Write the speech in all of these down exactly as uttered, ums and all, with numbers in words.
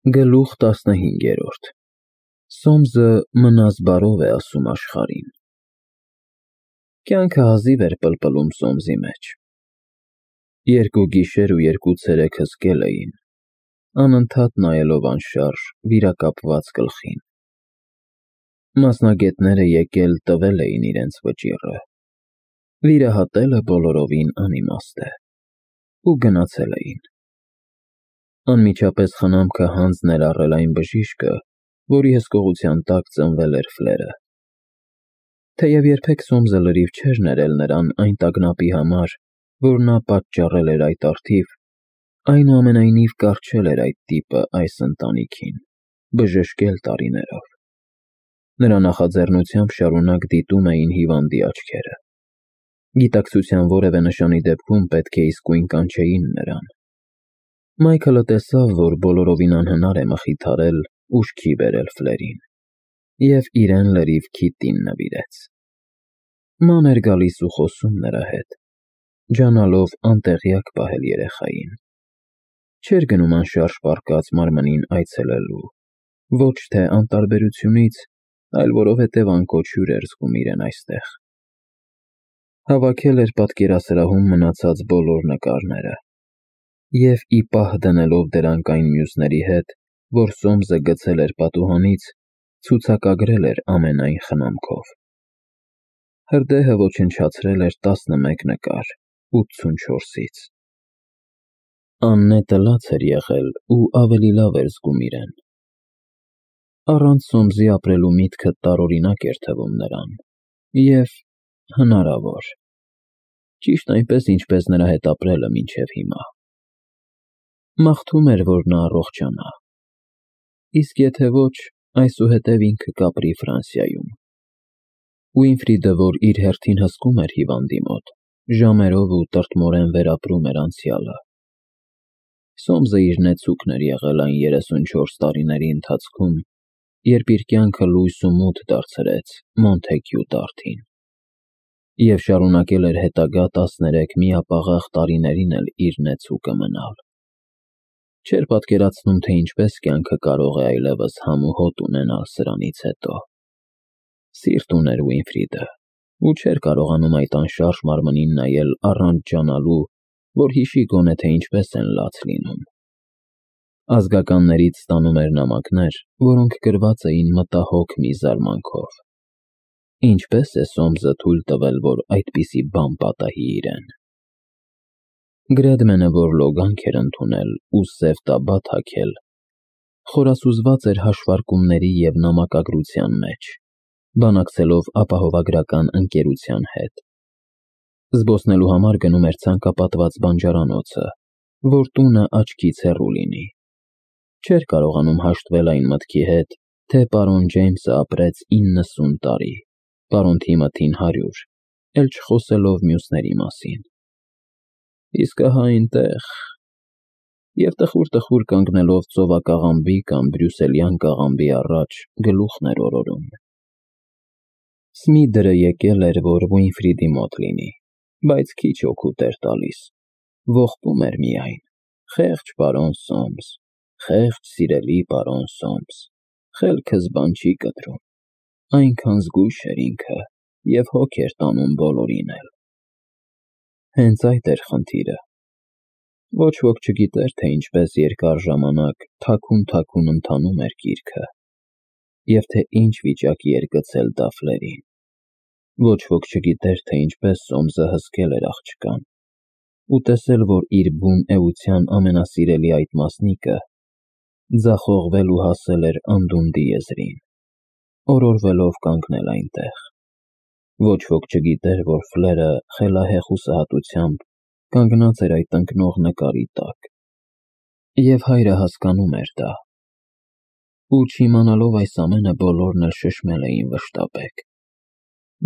Գլուխ տասնհինգերորդ Սոմսը մնաս բարով է ասում աշխարհին։ Կյանքը հազիվ էր պլպլում Սոմսի մեջ։ Երկու գիշեր ու երկու ցերեկ հսկել էին, անընդհատ նայելով անշարժ վիրակապված գլխին։ Մասնագետները եկել տվել էին իրենց վճիռը, վիրահատելը բոլորովին անիմաստ է, ու գնացել էին։ Անմիջապես խնամքը հանձ ներառել այն բժիշկը, որի հսկողության տակ ծնվել էր Ֆլերը։ Թեև երբեք Սոմսը լրիվ չէր ներել նրան այն տագնապի համար, որ նա պատճառել էր այդ առթիվ, այնուամենայնիվ կառչել էր այդ տիպը այս ընտանիքին, բժշկել տարիներով։ Նրա նախաձեռնությամբ շարունակ դիտում էին հիվանդի աչքերը։ Գիտակցության որևէ նշանի դեպքում պետք է իսկույն կանչեին նրան։ Մայքլը տեսավ, որ բոլորովին անհնար է մխիթարել, ուշքի բերել Ֆլերին, և իրեն լրիվ քիթին նվիրեց։ Ման էր գալիս ու խոսում նրա հետ, ջանալով անտեղյակ պահել երեխային։ Չէր գնում անշարժ պառկած մարմնին այցելելու, ոչ թե անտարբերությունից, այլ որովհետև անկոչ հյուր էր զգում իրեն այստեղ։ Հավաքել էր պատկերասրահում մնացած բոլոր նկարները և ի պահ դնելով դրանք այն մյուսների հետ, որ Սոմսը գցել էր պատուհանից, ցուցակագրել էր ամենայն խնամքով։ Հրդեհը ոչնչացրել էր տասնմեկ նկար ութսունչորսից։ Աննետը լաց էր եղել ու ավելի լավ էր զգում իրեն։ Առանց Սոմսի ապրելու միտքը տարօրինակ էր թվում նրան և հնարավոր, ճիշտ այնպես, ինչպես նրա հետ ապրելը մինչև հիմա։ Մաղթում էր, որ նա առողջանա, իսկ եթե ոչ, այսուհետև ինքը կապրի Ֆրանսիայում։ Ուինֆրիդը, որ իր հերթին հսկում էր հիվանդի մոտ, ժամերով ու տրտմորեն վերապրում էր անցյալը։ Սոմսը իր նեցուկն էր եղել այն երեսունչորս տարիների ընթացքում, երբ իր կյանքը լույս ու մութ դարձրեց Մոնթեքյու տարթին, և շարունակել էր հետագա տասներեք միապաղաղ տարիներին էլ իր նեցուկը մնալ։ Չէր պատկերացնում, թե ինչպես կյանքը կարող է այլևս համ ու հոտ ունենալ սրանից հետո։ Սիրտ ուներ Ուինֆրիդը, ու չէր կարողանում այդ անշարժ մարմնին նայել առանց ջանալու, որ հիշի գոնե թե ինչպես են լաց լինում։ Ազգականներից ստանում էր նամակներ, որոնք գրված էին մտահոգ մի զարմանքով։ Ինչպե՞ս է Սոմսը թույլ տվել, որ այդպիսի բան պատահի իրեն։ Գրեդմենը, որ լոգանք էր ընդունել ու սև տաբատ հագել, խորասուզված էր հաշվարկումների և նամակագրության մեջ, բանակցելով ապահովագրական ընկերության հետ։ Զբոսնելու համար գնում էր ցանկապատված բանջարանոցը, որ տունը աչքից հեռու լինի։ Չէր կարողանում հաշտվել այն մտքի հետ, թե պարոն Ջեյմսը ապրեց իննսուն տարի, պարոն Թիմոթին հարյուր, էլ չխոսելով մյուսների մասին։ Իսկ ահա այնտեղ… Եվ տխուր-տխուր կանգնելով ծովակաղամբի կամ բրյուսելյան կաղամբի առաջ գլուխն էր օրորում։ Սմիդրը եկել էր, որ Ուինֆրիդի մոտ լինի, բայց քիչ օգուտ էր տալիս, ողբում էր միայն. «Խեղճ պարոն Սոմս, խեղճ սիրելի պարոն Սոմս, խելքս բան չի կտրում»։ Այնքան զգույշ էր ինքը և հոգ էր տանում բոլորին էլ։ Հենց այդ էր խնդիրը։ Ոչ ոք չգիտեր, թե ինչպես երկար ժամանակ թաքուն-թաքուն ընթանում էր գիրքը, և թե ինչ վիճակի էր գցել դա Ֆլերին։ Ոչ ոք չգիտեր, թե ինչպես Սոմսը հսկել էր աղջկան, ու տեսել, որ իր բուն էության ամենասիրելի այդ մասնիկը ձախողվել ու հասել էր անդունդի եզրին, օրորվելով կանգնել այնտեղ։ Ոչ ոք չգիտեր, որ Ֆլերը խելահեղ հուսահատությամբ կանգնած էր այդ ընկնող նկարի տակ, և հայրը հասկանում էր դա։ Ու չիմանալով այս ամենը, բոլորն էլ շշմել էին վշտաբեկ։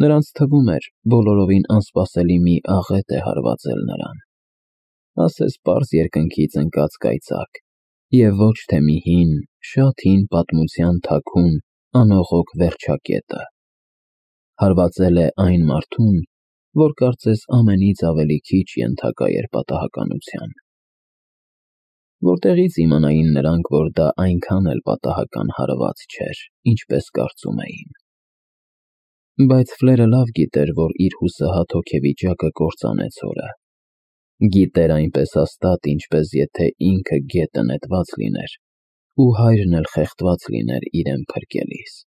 Նրանց թվում էր բոլորովին անսպասելի մի աղետ է հարվածել նրան, ասես պարզ երկնքից ընկած կայծակ, և ոչ թե մի հին, շատ հին պատմության թաքուն, անողոք վերջակետը։ Հարվածել է այն մարդուն, որ կարծես ամենից ավելի քիչ ենթակա էր պատահականության։ Որտեղից իմանային նրանք, որ դա այնքան էլ պատահական հարված չէր, ինչպես կարծում էին։ Բայց Ֆլերը լավ գիտեր, որ իր հուսահատ հոգեվիճակը կործանեց օրը։ Գիտեր այնպես հաստատ, ինչպես եթե ինքը գետը նետված լիներ, ու հայրն էլ խեղդված լիներ իրեն փրկելիս։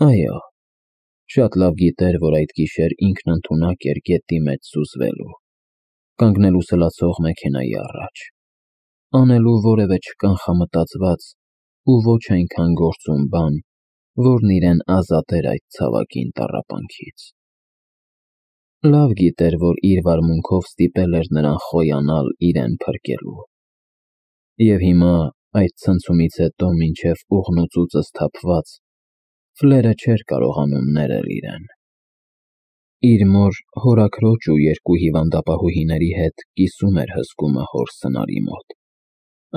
Այո, շատ լավ գիտեր, որ այդ գիշեր ինքն ընդունակ էր գետի մեջ սուզվելու, կանգնելու սլացող մեքենայի առաջ, անելու որևէ չկանխամտածված ու ոչ այնքան գործուն բան, որն իրեն ազատեր այդ ցավագին տառապանքից։ Լավ գիտեր, որ իր վարմունքով ստիպել էր նրան խոյանալ իրեն փրկելու։ Եվ հիմա, այդ ցնցումից հետո մինչև ուղնուծուծը սթափված, Ֆլերը չէր կարողանում ներել իրեն։ Իր մոր, հորաքրոջ ու երկու հիվանդապահուհիների հետ կիսում էր հսկումը հոր սնարի մոտ,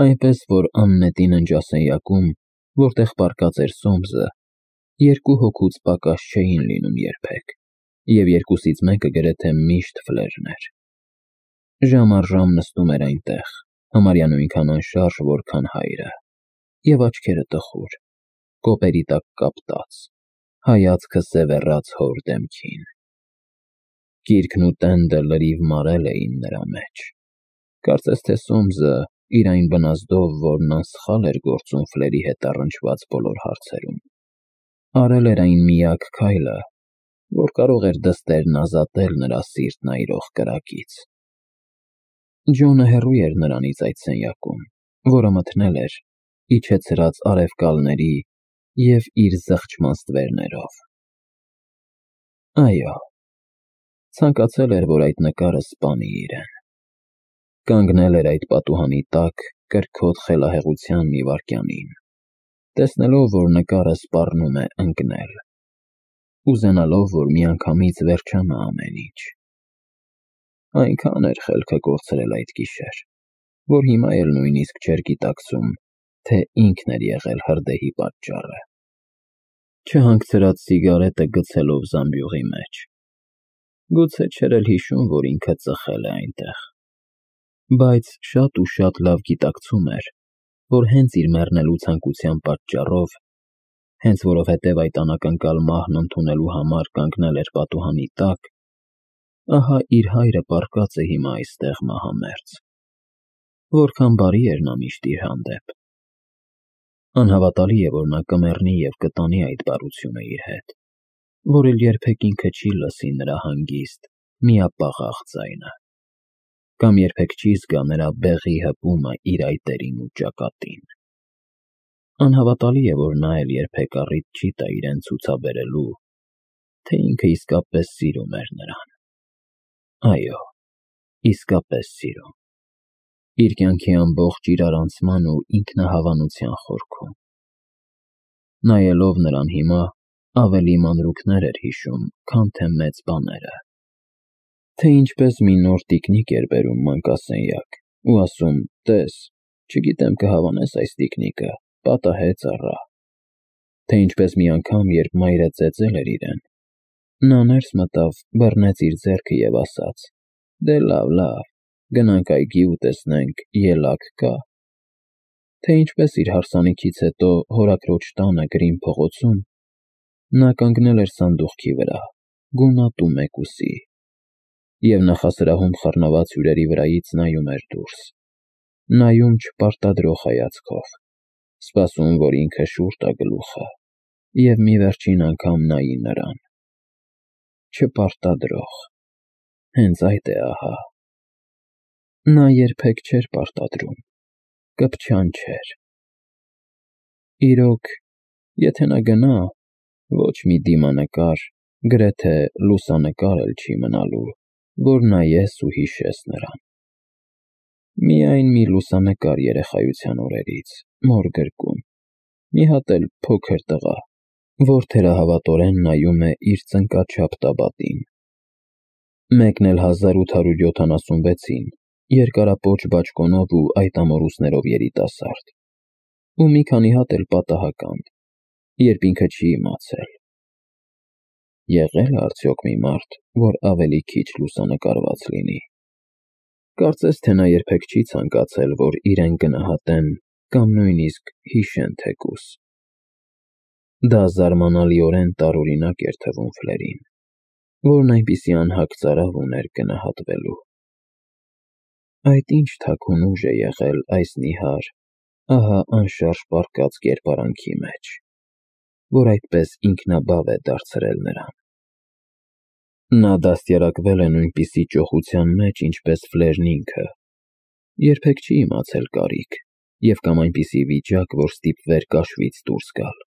այնպես որ աննետի ննջասենյակում, որտեղ պառկած էր Սոմսը, երկու հոգուց պակաս չէին լինում երբեք, և երկուսից մեկը գրեթե միշտ Ֆլերն էր։ Ժամ առ ժամ նստում էր այնտեղ, համարյա նույնքան անշարժ, որքան հայրը, և աչքերը տխուր, կոպերի տակ կապտած, հայացքը սևեռած հոր դեմքին։ Գիրքն ու տենդը լրիվ մարել էին նրա մեջ։ Կարծես թե Սոմսը, իր այն բնազդով, որն անսխալ էր գործում Ֆլերի հետ առնչված բոլոր հարցերում, արել էր այն միակ քայլը, որ կարող էր դստերն ազատել նրա սիրտն այրող կրակից։ Ջոնը հեռու էր նրանից այդ սենյակում, որը մթնել էր, իջեցրած արևկալների և իր զղջման ստվերներով։ Այո, ցանկացել էր, որ այդ նկարը սպանի իրեն։ Կանգնել էր այդ պատուհանի տակ կրքոտ խելահեղության մի վայրկյանին, տեսնելով, որ նկարը սպառնում է ընկնել, ուզենալով, որ միանգամից վերջանա ամեն ինչ։ Այնքան էր խելքը կորցրել այդ գիշեր, որ հիմա էլ նույնիսկ չէր գիտակցում, թե ինքն էր եղել հրդեհի պատճառը։ Չհանգցրած սիգարետը գցելով զամբյուղի մեջ։ Գուցե չէր էլ հիշում, որ ինքը ծխել է այնտեղ։ Բայց շատ ու շատ լավ գիտակցում էր, որ հենց իր մեռնելու ցանկության պատճառով, հենց որովհետև այդ անակնկալ մահն ընդունելու համար կանգնել էր պատուհանի տակ, ահա իր հայրը պառկած է հիմա այստեղ մահամերձ։ Որքան բարի էր նա միշտ իր հանդեպ։ Անհավատալի է, որ նա կմեռնի և կտանի այդ բարությունը իր հետ, որ էլ երբեք ինքը չի լսի նրա հանգիստ, միապաղաղ ձայնը, կամ երբեք չի զգա նրա բեղի հպումը իր այտերին ու ճակատին։ Անհավատալի է, որ նա էլ երբեք առիթ չի տա իրեն ցուցաբերելու, թե ինքը իսկապես սիրում էր նրան։ Այո, իսկապես սիրում։ Իր կյանքի ամբողջ իրարանցման ու ինքնահավանության խորքում։ Նայելով նրան հիմա, ավելի մանրուքներ էր հիշում, քան թե մեծ բաները։ Թե ինչպես մի նոր տիկնիկ էր բերում մանկասենյակ ու ասում. «Տես, չգիտեմ կհավանես այս տիկնիկը, պատահեց առա»։ Թե ինչպես մի անգամ, երբ մայրը ծեծել էր իրեն, նա ներս մտավ, բռնեց իր ձեռքը և ասաց. «Դե լավ, լավ, գնանք այգի ու տեսնենք ելակ կա»։ Թե ինչպես իր հարսանիքից հետո հորաքրոջ տանը Գրին փողոցում նա կանգնել էր սանդուղքի վրա, գունատ ու մեկուսի, և նախասրահում խռնված հյուրերի վրայից նայում էր դուրս, նայում չպարտադրող հայացքով, սպասում, որ ինքը շուռ տա գլուխը և մի վերջին անգամ նայի նրան։ Չպարտադրող, հենց այդ է ահա։ Նա երբեք չէր պարտադրում, կպչանչեր։ Իրոք, եթե նա գնա, ոչ մի դիմանկար, գրեթե լուսանկար էլ չի մնալու, որ նայես ու հիշես նրան։ Միայն մի լուսանկար երեխայության օրերից, մոր գրկում, մի հատ էլ փոքր տղա, որ թերահավատորեն նայում է իր ծնկաչափ տաբատին։ Մեկն էլ հազար ութ հարյուր յոթանասունվեցին, երկարապոչ բաճկոնով ու այդ ամորուսներով երիտասարդ, ու մի քանի հատ էլ պատահական, երբ ինքը չի իմացել։ Եղե՞լ է արդյոք մի մարդ, որ ավելի քիչ լուսանկարված լինի։ Կարծես թե նա երբեք չի ցանկացել, որ իրեն գնահատեն կամ նույնիսկ հիշեն թեկուզ։ Դա զարմանալիորեն տարօրինակ էր թվում Ֆլերին, որն այնպիսի անհագ ծարավ ուներ գնահատվելու։ Այդ ինչ թաքուն ուժ է եղել այս նիհար, ահա անշարժ պառկած կերպարանքի մեջ, որ այդպես ինքնաբավ է դարձրել նրան։ Նա դաստիարակվել է նույնպիսի ճոխության մեջ, ինչպես Ֆլերն ինքը, երբեք չի իմացել կարիք և կամ այնպիսի վիճակ, որ ստիպվեր կաշվից դուրս գալ։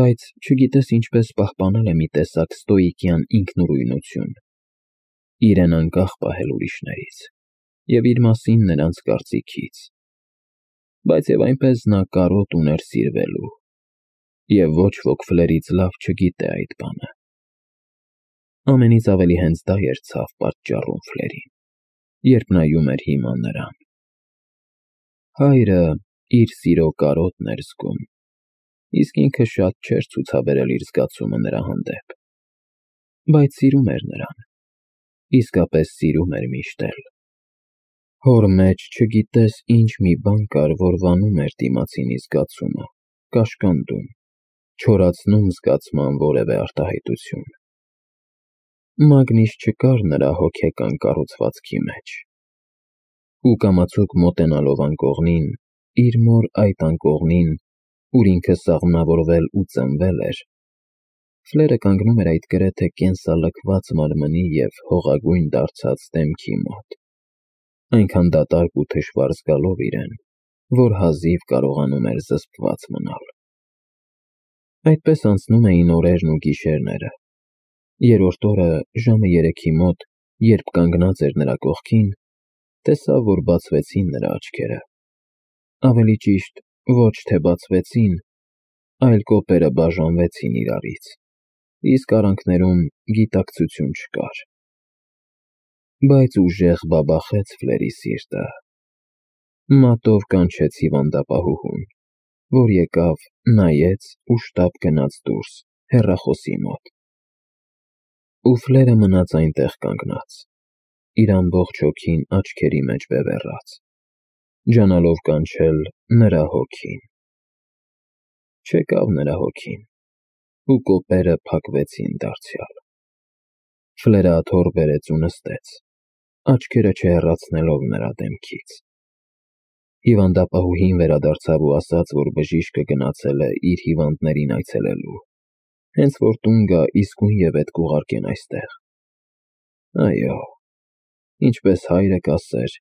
Բայց չգիտես ինչպես պահպանել է մի տեսակ ստոիկյան ինքնուրույնություն, իրեն անկախ պահել ուրիշներից և իր մասին նրանց կարծիքից, բայց և այնպես նա կարոտ ուներ սիրվելու, և ոչ ոք Ֆլերից լավ չգիտե այդ բանը։ Ամենից ավելի հենց դա էր ցավ պատճառում Ֆլերին, երբ նայում էր հիմա նրան։ Հայրը իր սիրո կարոտն էր զգում, իսկ ինքը շատ չէր ցուցաբերել իր զգացումը նրա հանդեպ, բայց սիրում էր նրան, իսկապես սիրում էր միշտ էլ։ Հոր մեջ չգիտես ինչ մի բան կար, որ վանում էր դիմացինի զգացումը, կաշկանդում, չորացնում զգացման որևէ արտահայտություն։ Մագնիշ չկար նրա հոգեկան կառուցվածքի մեջ, ու կամացուկ մոտենալով անկողնին, իր մոր այդ անկողնին, ուր ինքը սաղմնավորվել ու ծնվել էր, Ֆլերը կանգնում էր այդ գրեթե կենսալքված մարմնի և հողագույն դարձած դեմքի մոտ, այնքան դատարկ ու թշվառ զգալով իրեն, որ հազիվ կարողանում էր զսպված մնալ։ Այդպես անցնում էին օրերն ու գիշերները։ Երրորդ օրը ժամը երեքի մոտ, երբ կանգնած էր նրա կողքին, տեսավ, որ բացվեցին նրա աչքերը։ Ավելի ճիշտ, ոչ թե բացվեցին, այլ կոպերը բաժանվեցին իրարից, իսկ արանքներում գիտակցություն չկար։ Բայց ուժեղ բաբախեց Ֆլերի սիրտը։ Մատով կանչեց հիվանդապահուհուն, որ եկավ, նայեց ու շտապ գնաց դուրս, հեռախոսի մոտ։ Ու Ֆլերը մնաց այնտեղ կանգնած, իր ամբողջ հոգին աչքերի մեջ բևեռած, ջանալով կանչել նրա հոգին։ Չեկավ նրա հոգին, ու կոպերը փակվեցին դարձյալ։ Ֆլերը աթոռ բերեց ու նստեց, աչքերը չհեռացնելով նրա դեմքից։ Հիվանդապահուհին վերադարձավ ու ասաց, որ բժիշկը գնացել է իր հիվանդներին այցելելու, հենց որ տուն գա իսկույնևեթ կուղարկեն այստեղ։ Այո, ինչպես հայրը կասեր,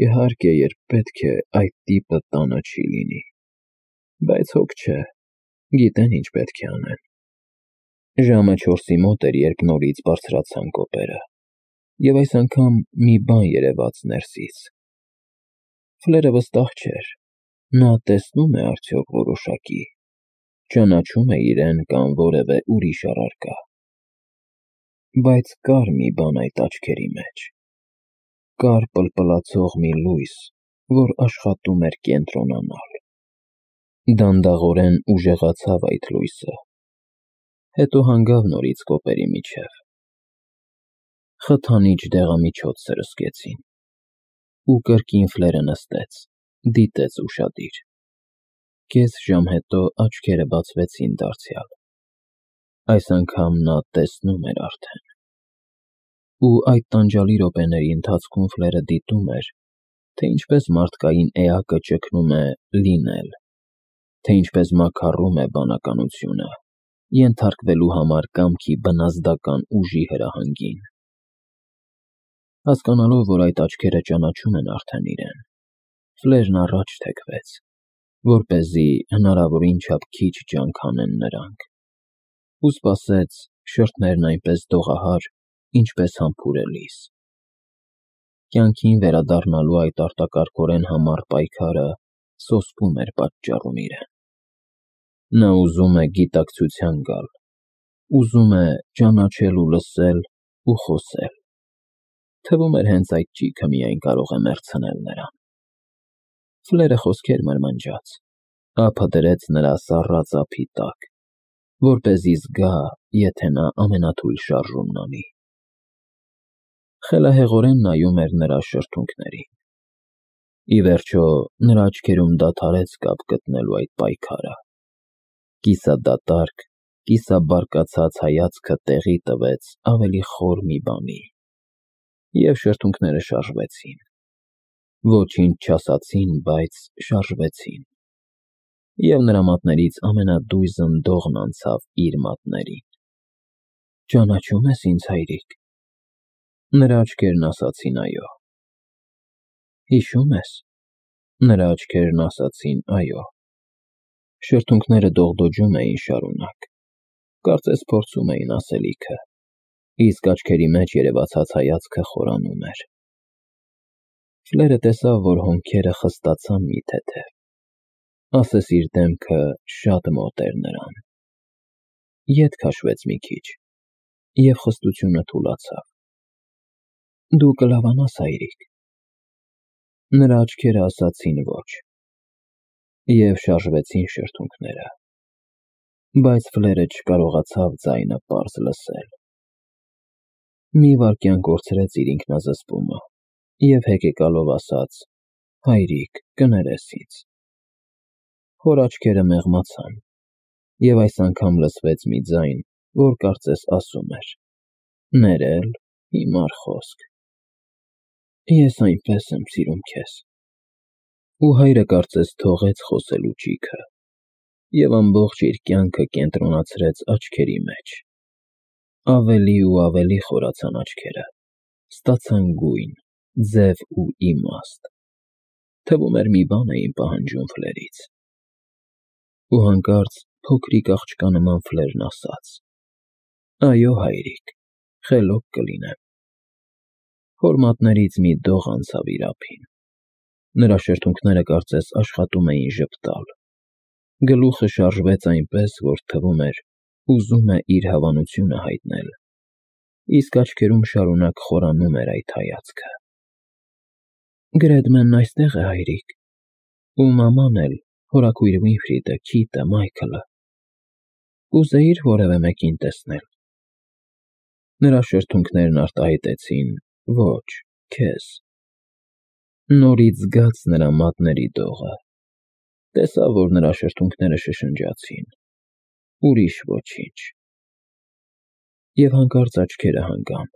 իհարկե, երբ պետք է, այդ տիպը տանը չի լինի, բայց հոգ չէ, գիտեն ինչ պետք է անեն։ Ժամը չորսի մոտ էր, երբ նորից բարձրացան կոպերը, և այս անգամ մի բան երևաց ներսից։ Ֆլերը վստահ չէր, նա տեսնո՞ւմ է արդյոք որոշակի, ճանաչո՞ւմ է իրեն կամ որևէ ուրիշ առարկա։ Բայց կար մի բան այդ աչքերի մեջ, կար պլպլացող մի լույս, որ աշխատում էր կենտրոնանալ։ Դանդաղորեն ուժեղացավ այդ լույսը, հետո հանգավ նորից կոպերի միջև։ Խթանիչ դեղամիջոց սրսկեցին, ու կրկին Ֆլերը նստեց, դիտեց ուշադիր։ Կես ժամ հետո աչքերը բացվեցին դարձյալ։ Այս անգամ նա տեսնում էր արդեն։ Ու այդ տանջալի րոպեների ընթացքում Ֆլերը դիտում էր, թե ինչպես մարդկային էակը ճգնում է լինել, թե ինչպես մաքառում է բանականությունը, ենթարկվելու համար կամքի բնազդական ուժի հրահանգին։ Հասկանալով, որ այդ աչքերը ճանաչում են արդեն իրեն, Ֆլերն առաջ թեքվեց, որպեսզի հնարավորին չափ քիչ ջանք հանեն նրանք, ու սպասեց շրթներն այնպես դողահար, ինչպես համբուրելիս։ Կյանքին վերադառնալու այդ արտակարգորեն համառ պայքարը սոսկում էր պատճառում իրեն։ Նա ուզում է գիտակցության գալ, ուզում է ճանաչել ու լսել ու խոսել։ Թվում էր հենց այդ ճիգը միայն կարող է մեռցնել նրան։ Ֆլերը խոսքեր մրմնջաց, ափը դրեց նրա սառած ափի տակ, որպեսզի զգա, եթե նա ամենաթույլ շարժումն անի։ խելահեղորեն նայում էր նրա շրթունքներին։ Ի վերջո, նրա աչքերում դադարեց կապ գտնելու այդ պայքարը։ Կիսադատարկ, կիսաբարկացած հայացքը տեղի տվեց ավելի խոր մի բանի, և շրթունքները շարժվեցին։ Ոչինչ չասացին, բայց շարժվեցին, և նրա մատներից ամենադույզն դողն անցավ իր մատներին։ «Ճանաչո՞ւմ ես ինձ, հայրիկ»։ Նրա աչքերն ասացին՝ «Այո»։ «Հիշո՞ւմ ես»։ Նրա աչքերն ասացին՝ «Այո»։ Շրթունքները դողդոջում էին շարունակ, կարծես փորձում էին ասելիքը, իսկ աչքերի մեջ երևացած հայացքը խորանում էր։ Ֆլերը տեսավ, որ հոնքերը խստացան մի թեթև, ասես իր դեմքը շատ մոտ էր նրան։ Ետ քաշվեց մի քիչ, և խստությունը թուլացավ։ «Դու կլավանաս, հայրիկ»։ Նրա աչքերը ասացին ոչ, և շարժվեցին շրթունքները, բայց Ֆլերը չկարողացավ ձայնը պարզ լսել։ Մի վայրկյան կորցրեց իր ինքնազսպումը և հեկեկալով ասաց. «Հայրիկ, կներես ինձ»։ Հոր աչքերը մեղմացան, և այս անգամ լսվեց մի ձայն, որ կարծես ասում էր. «Ներել, հիմար խոսք»։ «Ես այնպես եմ սիրում քեզ»։ Ու հայրը կարծես թողեց խոսելու ճիգը, և ամբողջ իր կյանքը կենտրոնացրեց աչքերի մեջ։ Ավելի ու ավելի խորացան աչքերը, ստացան գույն, ձև ու իմաստ, թվում էր մի բան էին պահանջում Ֆլերից։ Ու հանկարծ փոքրիկ աղջկա նման Ֆլերն ասաց. «Այո, հայրիկ, խելոք կլինեմ»։ Հոր մատներից մի դող անցավ իր ափին։ Նրա շրթունքները կարծես աշխատում էին ժպտալ։ Գլուխը շարժվեց այնպես, որ թվում էր ուզում է իր հավանությունը հայտնել, իսկ աչքերում շարունակ խորանում էր այդ հայացքը։ «Գրեդմենն այստեղ է, հայրիկ, ու մաման էլ, հորաքույր Վինֆրիդը, Քիթը, Մայքլը։ Կուզեի՞ր որևէ մեկին տեսնել»։ Նրա շրթունքներն արտահայտեցին. «Ոչ, քեզ»։ Նորից զգաց նրա մատների դողը, տեսավ, որ նրա շրթունքները շշնջացին, ուրիշ ոչինչ։ Եվ հանկարծ աչքերը հանգան,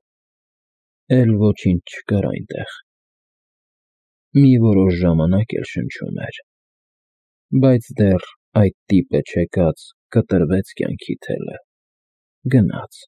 էլ ոչինչ չկար այնտեղ։ Մի որոշ ժամանակ էլ շնչում էր, բայց դեռ այդ տիպը չեկած կտրվեց կյանքի թելը, գնաց։